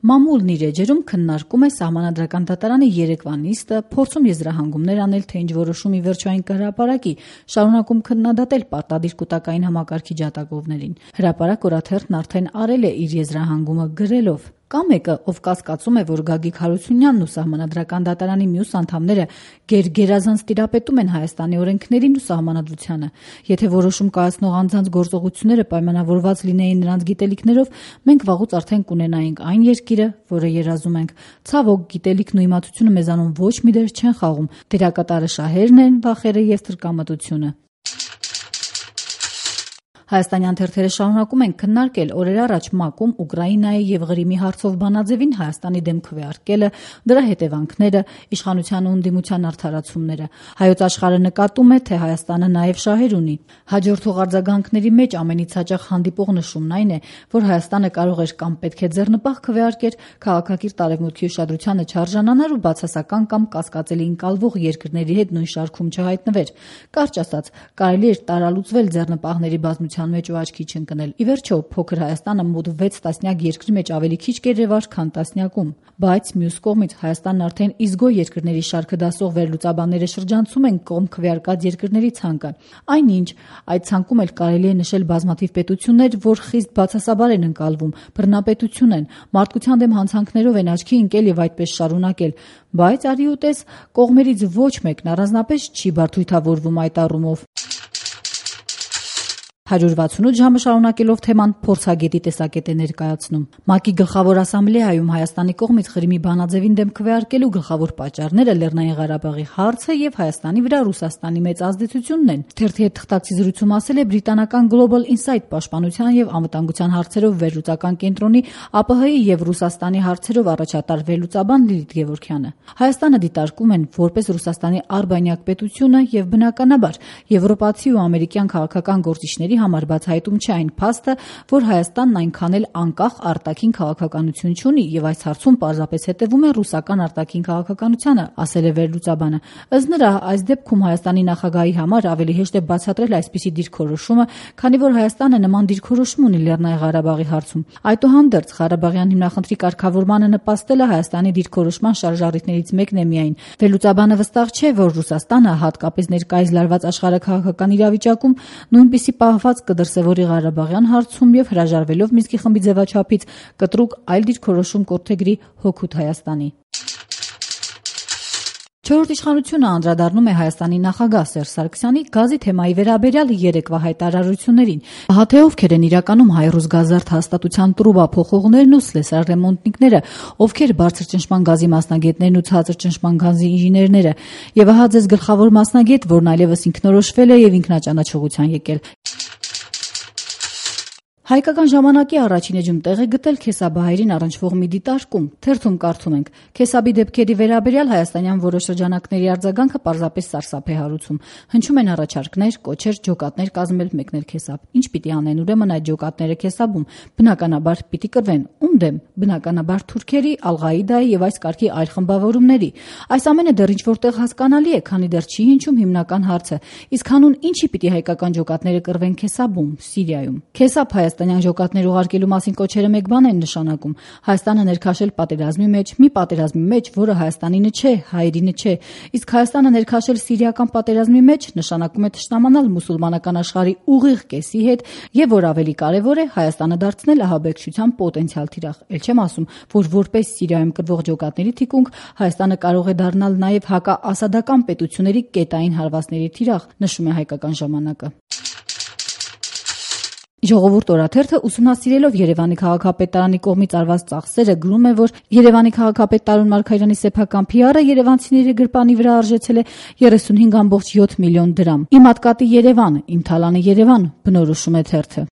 Մամուլն իր էջերում քննարկում է Սահմանադրական դատարանի երեկվա նիստը, փորձում եզրահանգումներ անել, թե ինչ որոշումի վերջային կհրապարակի, շարունակում քննադատել պարտադիր կուտակային համակարգի ջատագովներին։ Հրապարակ օրաթերթն արդեն արել է իր եզրահանգումը գրելով. Կա մեկը, ով կասկածում է, որ Գագիկ Հարությունյանն ու Սահմանադրական դատարանի մյուս անդամները գերազանց տիրապետում են Հայաստանի օրենքներին ու Սահմանադրությանը։ Եթե որոշում կայացնող անձանց գործողությունները պայմանավորված լինեին նրանց գիտելիքներով, մենք վաղուց արդեն կունենայինք այն երկիրը, որը երազում ենք։ Ցավոք, գիտելիքն ու իմացությունը մեզանում ոչ մի դեր չեն խաղում։ Դերակատարը շահերն են, վախերը եւ տրկամտությունը։ Հայաստանյան թերթերը շարունակում են քննարկել օրեր առաջ ՄԱԿ-ում Ուկրաինայի եւ Ղրիմի հարցով բանաձևին Հայաստանի դեմ քվեարկելը, դրա հետևանքները, իշխանության ու ընդդիմության արդարացումները։ Հայոց աշխարհը նկատում է, թե Հայաստանը նաեւ շահեր ունի։ Հաջորդող արձագանքների մեջ ամենից հաճախ հանդիպող նշումն այն է, որ Հայաստանը կարող էր կամ պետք է ձեռնպահ քվեարկեր, քաղաքակիրթ Արևմուտքի ուշադրությանը չարժանանար ու բացասական կամ կասկածելի ընկալվող երկրների հետ նույն շարքում չհայտնվեր։ Կարճ ասած, կարելի էր տարալուծվել ձեռնպահների բազմության մեջ ու աչքի չընկնել։ Ի վերջո, փոքր Հայաստանը մոտ 6 տասնյակ երկրի մեջ ավելի քիչ կերևար, քան տասնյակում։ Բայց մյուս կողմից Հայաստանն արդեն իզգո երկրների շարքը դասող վերլուծաբանները շրջանցում են կողմ քվեարկած երկրների ցանկը։ Այնինչ, այդ ցանկում էլ կարելի է նշել բազմաթիվ պետություններ, որ խիստ բացասաբար են ընկալվում, բռնապետություն են, մարդկության դեմ հանցանքներով են աչքի ընկել եւ այդպես շարունակել։ Բայց արի ու տես, կողմերից ոչ մեկն առանձնապես չի բարդույթավորվում այդ առումով։ 168 ժամը շարունակելով թեման փորձագետի տեսակետ է ներկայացնում։ ՄԱԿ-ի գլխավոր ասամբլեայում Հայաստանի կողմից Ղրիմի բանաձևին դեմ քվեարկելու գլխավոր պատճառները Լեռնային Ղարաբաղի հարցը եւ Հայաստանի վրա Ռուսաստանի մեծ ազդեցությունն են։ Թերթի հետ թղթակցի զրույցում ասել է բրիտանական Global Insight պաշտպանության եւ անվտանգության հարցերով վերլուծական կենտրոնի ԱՊՀ-ի եւ Ռուսաստանի հարցերով առաջատար վերլուծաբան Լիլիթ Գևորգյանը։ Հայաստանը դիտարկում են որպես Ռուսաստանի արբանյակ պետությունը եւ բնականաբար եվրոպացի ու ամերիկյան քաղաքական գործիչների համար բացահայտում չէ այն փաստը, որ Հայաստանն այնքան էլ անկախ արտաքին քաղաքականություն չունի եւ այս հարցում պարզապես հետեւում է ռուսական արտաքին քաղաքականությանը, ասել է վերլուծաբանը։ Ըստ նրա, այս դեպքում Հայաստանի նախագահի համար ավելի հեշտ է բացատրել այսպիսի դիրքորոշումը, քանի որ Հայաստանը նման դիրքորոշում ունի Լեռնային Ղարաբաղի հարցում։ Այդուհանդերձ, Ղարաբաղյան հիմնախնդրի կարգավորմանը նպաստելը Հայաստանի դիրքորոշման շարժառիթներից մեկն է միայն։ Վերլուծաբանը վստահ չէ, որ Ռուսաստանը, հատկապես ներկայիս լարված աշխարհաքաղաքական իրավիճակում, նույնպիսի պահված կդրսևորի Ղարաբաղյան հարցում եւ հրաժարվելով Մինսկի խմբի ձևաչափից կտրուկ այլ դիրքորոշում կորդեգրի հօգուտ Հայաստանի։ Չորրորդ իշխանությունը անդրադառնում է Հայաստանի նախագահ Սերժ Սարգսյանի գազի թեմայի վերաբերյալ երեկվա հայտարարություններին։ Ահա թե ովքեր են իրականում հայ-ռուս գազարդ հաստատության տրուբա փոխողներն ու սլեսար-ռեմոնտնիկները, ովքեր բարձր ճնշման գազի մասնագետներն ու ցածր ճնշման գազի ինժեներները։ Եվ ահա ձեզ գլխավոր մասնագետ, որն այլևս ինքնորոշվել է եւ ինքնաճանաչողության եկել։ Հայկական ժամանակի առաջին էջում տեղ է գտել Քեսաբահայերին առնչվող մի դիտարկում։ Թերթում կարդում ենք. Քեսաբի դեպքերի վերաբերյալ հայաստանյան որոշ շրջանակների արձագանքը պարզապես սարսափ է հարուցում։ Հնչում են առաջարկներ, կոչեր, ջոկատներ կազմել մեկնել Քեսաբ։ Ինչ պիտի անեն ուրեմն այդ ջոկատները Քեսաբում։ Բնականաբար պիտի կռվեն։ Ում դեմ։ Բնականաբար թուրքերի, Ալ-Ղաիդայի եւ այս կարգի այլ խմբավորումների։ Այս ամենը դեռ ինչ որտեղ հասկանալի է, քանի դեռ չի հնչում հիմնական հարցը։ Իսկ հանուն ինչի պիտի հայկական ջոկատները կռվեն Քեսաբում, Սիրիայում։ Քեսաբ Հայաստանյան ջոկատներ ուղարկելու մասին կոչերը մեկ բան են նշանակում։ Հայաստանը ներքաշել պատերազմի մեջ, մի պատերազմի մեջ, որը Հայաստանինը չէ, հայերինը չէ։ Իսկ Հայաստանը ներքաշել սիրիական պատերազմի մեջ նշանակում է թշնամանալ մուսուլմանական աշխարհի ուղիղ կեսի հետ եւ որ ավելի կարեւոր է Հայաստանը դարձնել ահաբեկչության պոտենցիալ թիրախ։ Էլ չեմ ասում, որ որպես Սիրիայում կռվող ջոկատների թիկունք Հայաստանը կարող է դառնալ նաեւ հակաասադական պետությունների կետային հարվածների թիրախ, նշում է Հայկական ժամանակը։ Ժողովուրդ օրաթերթը ուսումնասիրելով Երևանի քաղաքապետարանի կողմից արված ծախսերը գրում է, որ Երևանի քաղաքապետ Տարոն Մարգարյանի սեփական PR-ը երևանցիների գրպանի վրա արժեցել է 35.7 միլիոն դրամ։ Իմ հատկատի Երևան, իմ թալանի Երևան, բնորոշում է թերթը։